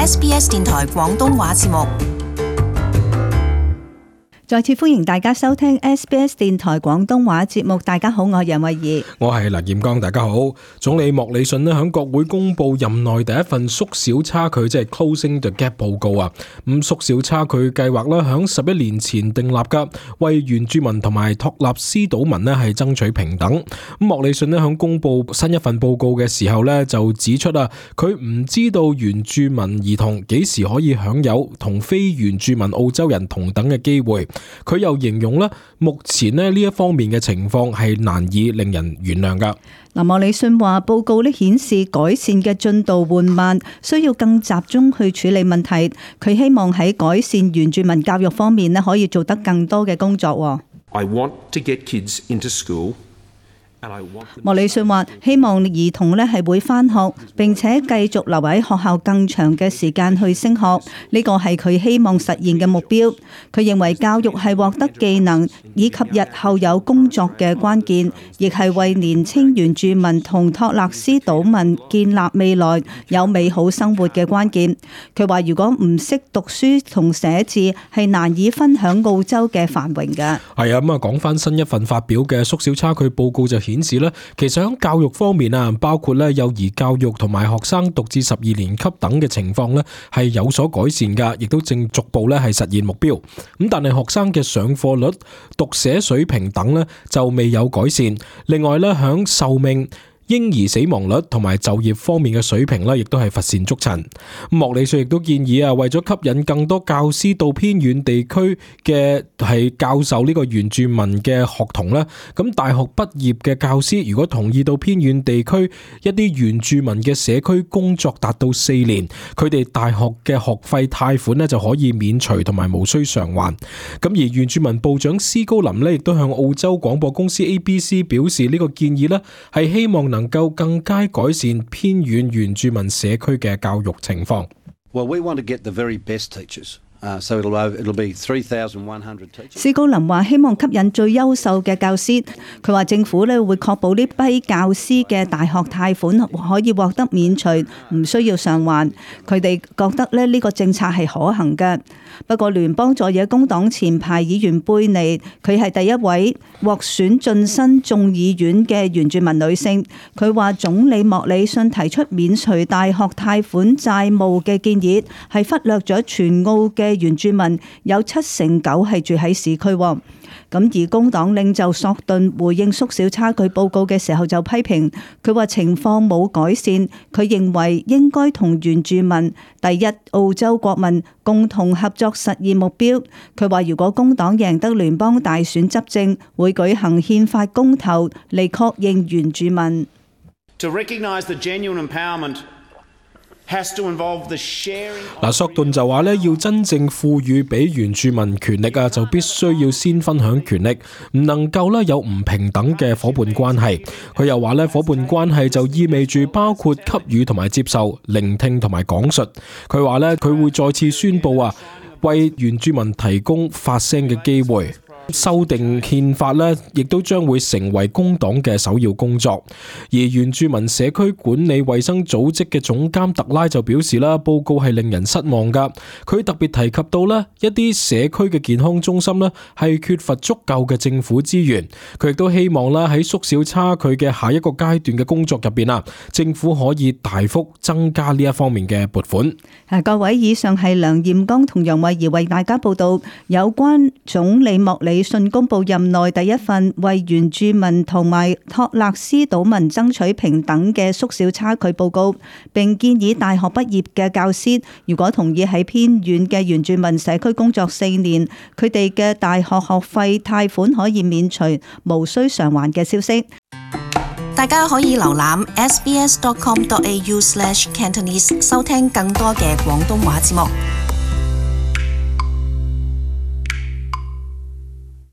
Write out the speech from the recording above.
SBS 電台廣東話節目。再次歡迎大家收聽 SBS 電台廣東話節目。大家好，我係楊慧儀，我係梁彥剛。大家好。總理莫里遜咧響國會公布任內第一份縮小差距，即係 Closing the Gap 報告啊。咁縮小差距計劃咧響11年前訂立噶，為原住民同埋托納斯島民咧係爭取平等。咁莫里遜咧響公布新一份報告嘅時候咧就指出啊，佢唔知道原住民兒童幾時可以享有同非原住民澳洲人同等嘅機會。佢又形容咧，目前呢一方面嘅情況係難以令人原諒噶。莫里遜話報告顯示改善嘅進度緩慢，需要更集中去處理問題。佢希望喺改善原住民教育方面可以做得更多嘅工作。I want to get kids into school.莫里遜話希望兒童係會返學，並且繼續留喺學校更長嘅時間去升學，呢個係佢希望實現嘅目標。佢認為教育係獲得技能以及日後有工作嘅關鍵，亦係為年輕原住民同托勒斯島民建立未來有美好生活嘅關鍵。佢話如果唔識讀書同寫字，係難以分享澳洲嘅繁榮嘅。係啊，咁啊講翻新一份發表嘅縮小差距報告就顯示咧，其實喺教育方面啊，包括咧幼兒教育同埋學生讀至12年級等嘅情況咧，係有所改善噶，亦都正逐步咧係實現目標。咁但係學生嘅上課率、讀寫水平等咧就未有改善。另外咧，響壽命、嬰兒死亡率同埋就業方面嘅水平咧，亦都係乏善足陳。莫里遜亦都建議啊，為咗吸引更多教師到偏遠地區嘅係教授呢個原住民嘅學童咧，咁大學畢業嘅教師如果同意到偏遠地區一啲原住民嘅社區工作達到4年，佢哋大學嘅學費貸款咧就可以免除同埋無需償還。咁而原住民部長斯高林咧亦都向澳洲廣播公司 ABC 表示呢個建議咧係希望能夠更加改善偏遠原住民社區嘅教育情況。Well, we want to get the very best teachers. So it'll be 3,100 teachers. 斯高林話希望吸引最優秀嘅教師。佢話政府會確保呢批教師嘅大學貸款可以獲得免除，唔需要償還。佢哋覺得呢個政策係可行嘅。不過聯邦在野工黨前排議員貝尼，佢係第一位獲選晉身眾議院嘅原住民女性。佢話總理莫里遜提出免除大學貸款債務嘅建議，係忽略咗全澳嘅原住民有79%係住喺市區。咁而工黨領袖索頓回應縮小差距報告嘅時候就批評，佢話情況冇改善，佢認為應該同原住民、第一澳洲國民共同合作實現目標。佢話如果工黨贏得聯邦大選執政，會舉行憲法公投嚟確認原住民。To recognize the genuine empowerment has to involve the sharing. 索頓就話咧，要真正賦予俾原住民權力啊，就必須要先分享權力，唔能夠咧有唔平等嘅伙伴關係。佢又話咧，伙伴關係就意味住包括給予同埋接受、聆聽同埋講述。佢話咧，佢會再次宣佈啊，為原住民提供發聲嘅機會。修訂憲法呢，亦都將會成為工黨嘅首要工作。而原住民社區管理衛生組織嘅總監特拉就表示啦，報告係令人失望噶。佢特別提及到呢一啲社區嘅健康中心呢係缺乏足夠嘅政府資源。佢亦都希望啦喺縮小差距嘅下一個階段嘅工作入邊啊，政府可以大幅增加呢一方面嘅撥款。各位，以上係梁彥剛同楊慧儀為大家報道有關總理莫里遜公布任內第一份為原住民同埋托勒斯島民爭取平等嘅縮小差距報告，並建議大學畢業嘅教師如果同意喺偏遠嘅原住民社區工作4年，佢哋嘅大學學費貸款可以免除，無需償還嘅消息。大家可以瀏覽 sbs.com.au/Cantonese 收聽更多嘅廣東話節目。